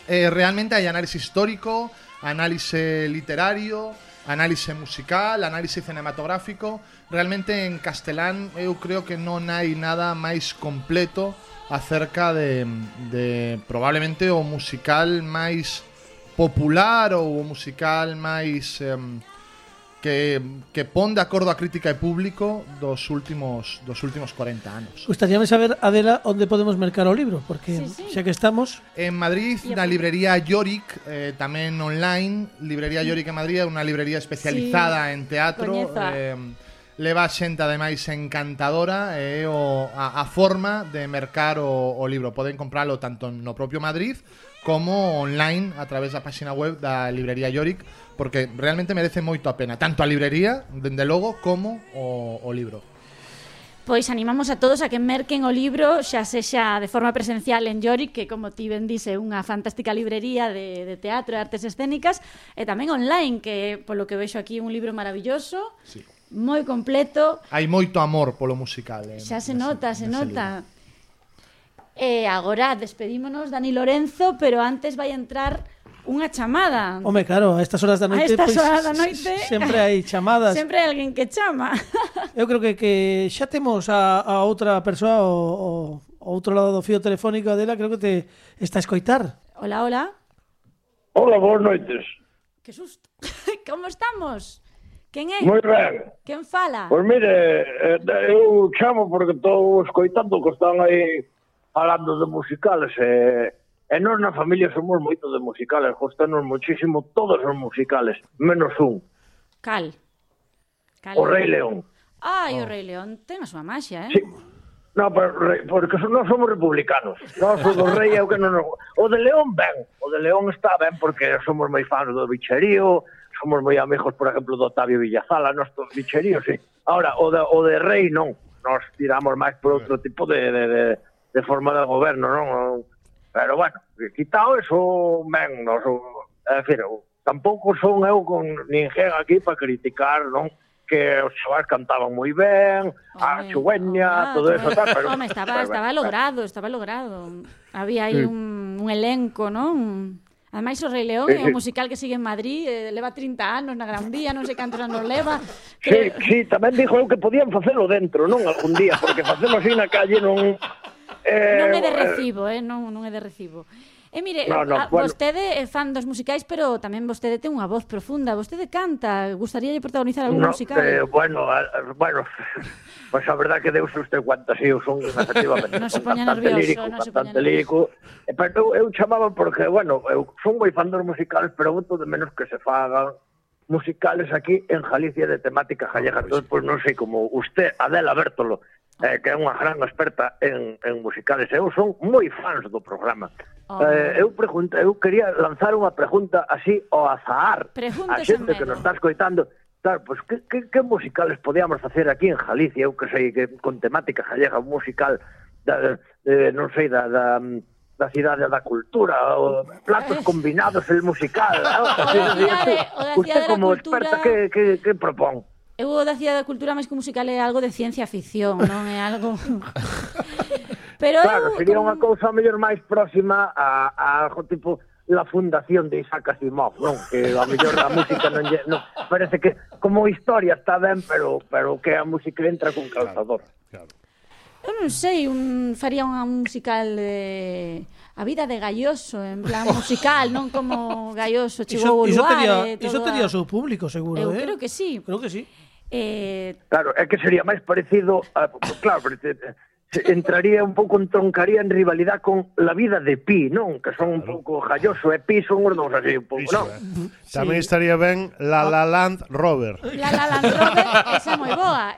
Realmente hai análise histórico, análise literario, análise musical, análise cinematográfico. Realmente en castelán eu creo que non hai nada máis completo acerca de probablemente o musical máis popular ou o musical máis que pon de acordo a crítica e público dos últimos 40 anos. Gustaríame saber, Adela, onde podemos mercar o libro, porque xa que estamos... En Madrid, na librería Yorick, tamén online. Librería Yorick en Madrid é unha librería especializada en teatro. Leva xente ademais encantadora e a forma de mercar o libro. Poden compralo tanto no propio Madrid como online a través da página web da librería Yorick, porque realmente merece moito a pena, tanto a librería, dende logo, como o libro. Pois animamos a todos a que merquen o libro, xa sexa de forma presencial en Yorick, que como ti ben dice, é unha fantástica librería de teatro e artes escénicas, e tamén online, que polo que vexo aquí un libro maravilloso, moi completo. Hai moito amor polo musical. Xa se nota, se nota. E agora despedímonos, Dani Lorenzo, pero antes vai entrar unha chamada. Home, claro, a estas horas da noite, sempre hai chamadas. Sempre hai alguén que chama. Eu creo que xa temos a outra persoa o outro lado do fío telefónico dela, creo que te está a escoitar. Hola, hola. Hola, boas noites. Que susto. Como estamos? Quen é? Moi ben. Quen fala? Pois mire, eu chamo porque estou escoitando que están aí falando de musicales e nós na familia somos moito de musicales, gostanos muchísimo todos os musicales, menos un. Cal? O Rei León. Ai, o Rei León ten a súa maxia, Sí. No, porque nós somos republicanos. Nós o do Rei é o que non nos... O de León ben, o de León está ben porque somos moi fans do bicherío, somos moi amigos, por exemplo, do Octavio Villazala, nós do bicherío, sí. Ahora, o de Rei non, nós tiramos máis por outro tipo de forma de goberno, non? Pero bueno, quitado eso, ben, nos, é dicir, tampouco son eu con ninguén aquí para criticar, non? Que os chavales cantaban moi ben, a Chueña, todo eso, tal, pero... Home, estaba logrado. Había aí un elenco, non? Ademais, o Rei León é un musical que sigue en Madrid, leva 30 anos na Gran Vía, non sei cantos anos leva. Sí, tamén dixo eu que podían facelo dentro, non? Algún día, porque facelo así na calle non... Non é de recibo, non é de recibo. E mire, vostede é fan dos musicais, pero tamén vostede ten unha voz profunda. Vostede canta, gustaríalle protagonizar algún musical? Bueno, pues a verdad que deuse usted cuenta, sí, eu son efectivamente non se poña nervioso, bastante lírico. Pero eu chamaba porque, bueno, eu son moi fan dos musicales, pero voto de menos que se fagan musicales aquí en Galicia de temática gallega. Entón, pues non sei, como usted, Adela Bértolo, que é unha gran experta en musicales. Eu son moi fans do programa. Eu quería lanzar unha pregunta así ao azar a xente que nos está escoitando. Claro, pues, que musicales podíamos facer aquí en Galicia? Eu que sei, que con temática gallega, un musical non sei, da cidade da cultura, o platos combinados, el musical. Usted como experta, que propón? Eu da Cidade da Cultura, máis que musical, é algo de ciencia ficción, non é algo... Pero claro, sería unha cousa mellor máis próxima a algo tipo la fundación de Isaac Asimov, non? Que a mellor a música non parece que como historia está ben, pero que a música entra con calzador. Eu non sei, faría unha musical de... A vida de Galloso, en plan musical, non como Galloso chegou ao lugar. Iso tería o seu público, seguro, Eu creo que sí. Creo que sí. Claro, é que sería máis parecido a, claro, entraría un pouco, entroncaría en rivalidade con La vida de Pi, non? Que son un pouco Galloso e Pi son os dous así un pouco, non? Tamén estaría ben La Land Rover. La Land Rover, esa é moi boa,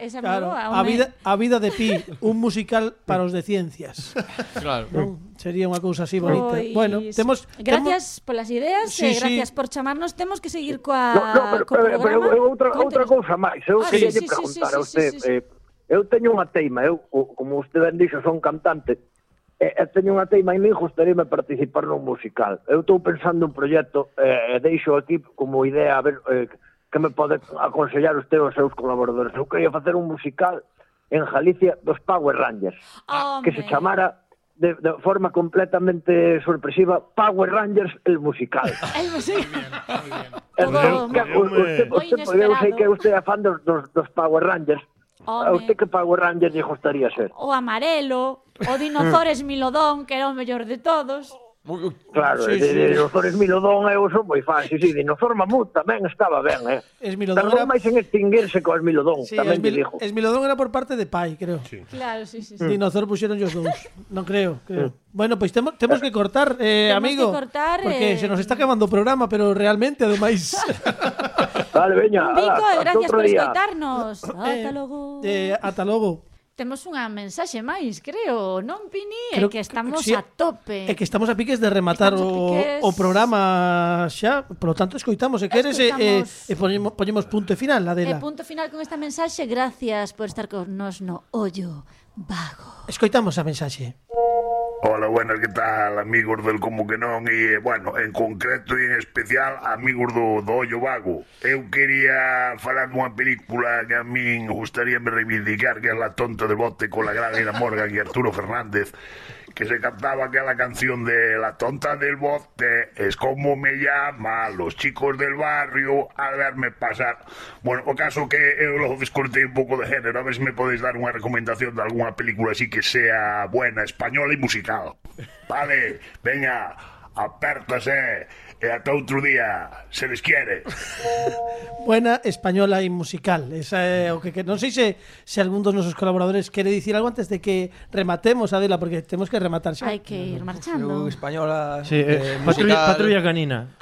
A vida de Pi, un musical para os de ciencias. Claro. Sería unha cousa así bonita. Bueno, gracias polas ideas, gracias por chamarnos. Temos que seguir co programa. Outra cousa máis, eu queria preguntar a usted, eu teño unha teima, como usted ben dixo, son cantante, e teño unha teima e me gustaríame participar nun musical. Eu estou pensando un proxecto, e deixo aquí como idea, a ver, que me pode aconsellar usted aos seus colaboradores. Eu queria facer un musical en Galicia dos Power Rangers, que se chamara de forma completamente sorpresiva Power Rangers el musical. El musical. Eu sei que usted é fan dos Power Rangers. A usted que Power Ranger lle gustaría ser? O amarelo, o Dinozores Milodón, que era o mellor de todos. Claro, Sí, de sí. Dinosaur Esmilodón eu son moi fan. Sí, Dinosaur Mamut tamén estaba ben, Esmilodón Tardou era... máis en extinguirse co Esmilodón, Sí, tamén te digo. Esmilodón era por parte de pai, creo. Claro, sí. Dinosaur puxeron os dous. Non creo. Bueno, pois temos que cortar, amigo. que cortar, porque se nos está acabando o programa, pero realmente, ademais... Vale, veña. Un bico, hasta gracias outro por día. escoitarnos. Ata logo. Ata logo. Temos unha mensaxe máis, creo, non, Pini? Creo É que estamos sí, a tope. É que estamos a piques de rematar Estamos a piques. o programa xa, polo tanto escoitamos, se queres poñemos punto e final, E Adela. punto final con esta mensaxe. Gracias por estar con nos no Ollo Vago. Escoitamos a mensaxe. Hola, buenas, ¿qué tal, amigos del Como que non? E, bueno, en concreto e en especial, amigos do Ollo Vago. Eu quería falar dunha película que a min gustaríame reivindicar, que é La tonta del bote con la gran Ina Morgan e Arturo Fernández, que se cantaba aquella canción de La tonta del bote es como me llama los chicos del barrio al verme pasar. Bueno, o caso que eu lo descortei un pouco de género, a ver se me podéis dar unha recomendación de alguna película así que sea buena, española e musical. Vale, veña, apértase e ata outro día, se les quiere. Buena, española e musical. Esa é o que non sei se algún dos nosos colaboradores quere dicir algo antes de que rematemos, Adela, porque temos que rematar xa. Hai que ir marchando. Española, Sí, patrulla canina.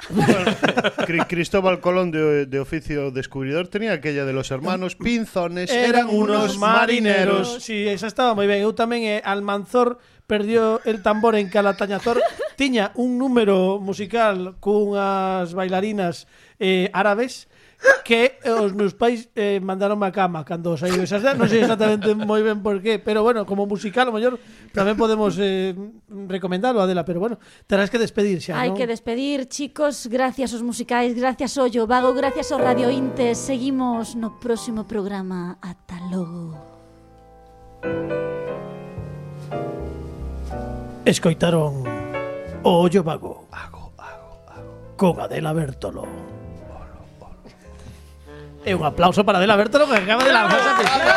Cristóbal Colón de oficio descubridor tenía aquella de los hermanos Pinzones Eran unos marineros. Sí, esa estaba moi ben. Eu tamén, Almanzor perdió el tambor en Calatañazor. Tiña un número musical cunhas bailarinas árabes que os meus pais mandaronme a cama cando saiu esas. Non sei exactamente moi ben por qué, pero bueno, como musical, o mellor tamén podemos recomendalo, Adela, pero bueno, terás que despedir xa, Hai non? que despedir, chicos. Gracias aos musicais, gracias Ollo Vago, gracias ao Radio Intes. Seguimos no próximo programa. Ata logo. Escoitaron o Ollo Vago con Adela Bertolo. E un aplauso para Adela Bertolo que acaba de lanzar esa piscina.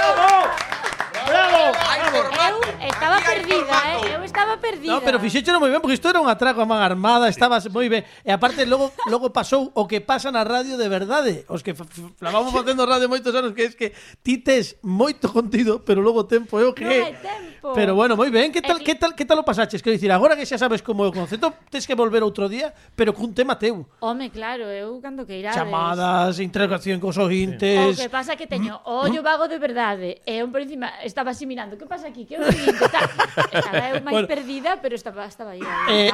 Eu estaba perdida, No, pero fixéchelo moi ben porque isto era un atraco a man armada, estaba moi ben. E aparte logo pasou o que pasa na radio de verdade. Os que flamamos facendo radio moitos anos, que é que ti tes moito contido, pero logo tempo é o que Non hai tempo. Pero bueno, moi ben. Que tal o pasaches? Quero dicir, agora que xa sabes como é o concepto, tes que volver outro día, pero cun tema teu. Home, claro, eu cando que irades. Chamadas, interrogación cos O ointes. que pasa é que teño ollo vago de verdade. E un por encima estaba así mirando, que pasa aquí? Que é o seguinte? Estaba eu máis perdida, pero estaba aí.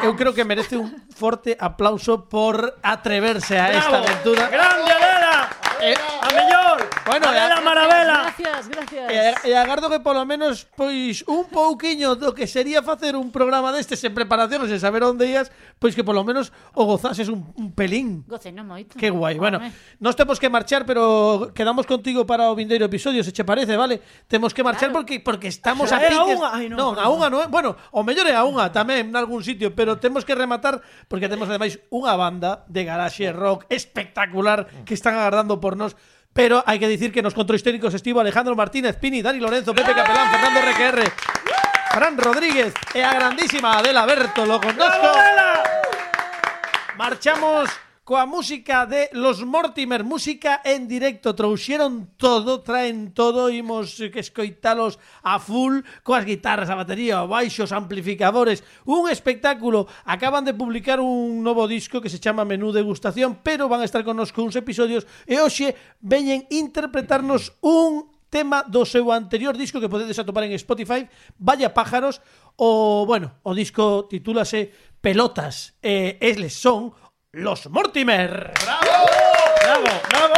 Eu creo que merece un forte aplauso por atreverse a esta aventura. ¡Grande, Adela! ¡A mellor! Bueno, Adela Maravela. Gracias. E agardo que polo menos pois un pouquiño do que sería facer un programa destes en preparación, sen saber onde ías, pois que polo menos o gozases un pelín. Gocei non moito. Que guai. Bueno, nos temos que marchar, pero quedamos contigo para o vindeiro episodio, se che parece, vale? Temos que marchar porque estamos a piques. Non, a unha non é. Bueno, o mellor é a unha tamén nalgún sitio, pero temos que rematar porque temos ademais unha banda de garaxe rock espectacular que están agardando por nós. Pero hai que dicir que nos controis técnicos estivo Alejandro Martínez, Pini, Dani Lorenzo, Pepe Capelán, Fernando RQR, Fran Rodríguez e a grandísima Adela Bertolo con nosco. Marchamos coa música de Los Mortimer, música en directo, trouxeron todo, traen todo, imos que escoitalos a full, coas guitarras, a batería, o baixo, os amplificadores, un espectáculo. Acaban de publicar un novo disco que se chama Menú Degustación, pero van a estar connosco uns episodios e hoxe veñen interpretarnos un tema do seu anterior disco que podedes atopar en Spotify, Vaya Pájaros. O disco titúlase Pelotas, eles son Los Mortimer. ¡Bravo! ¡Bravo! ¡Bravo!